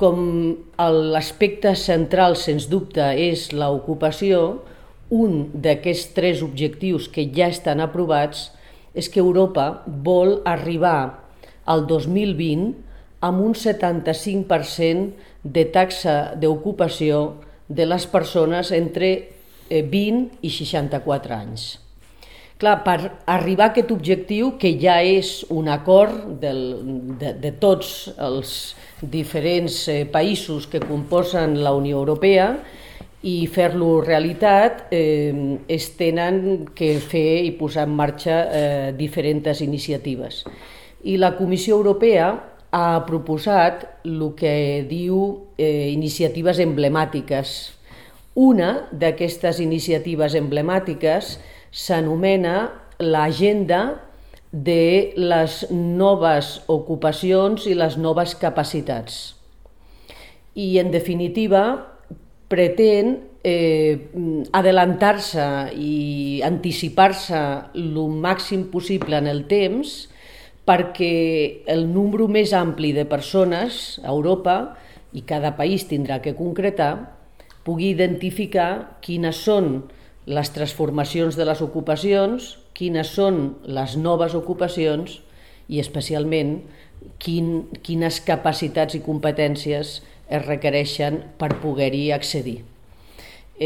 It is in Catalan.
com l'aspecte central, sens dubte, és l'ocupació, un d'aquests 3 objectius que ja estan aprovats és que Europa vol arribar al 2020 amb un 75% de taxa d'ocupació de les persones entre 20 i 64 anys. Clar, per arribar a aquest objectiu, que ja és un acord de tots els diferents països que composen la Unió Europea, i fer-lo realitat es tenen que fer i posar en marxa diferents iniciatives. I la Comissió Europea ha proposat el que diu iniciatives emblemàtiques. Una d'aquestes iniciatives emblemàtiques s'anomena l'agenda de les noves ocupacions i les noves capacitats. I, en definitiva, pretén adelantar-se i anticipar-se el màxim possible en el temps perquè el número més ampli de persones a Europa, i cada país tindrà que concretar, pugui identificar quines són les transformacions de les ocupacions, quines són les noves ocupacions i, especialment, quines capacitats i competències es requereixen per poder-hi accedir.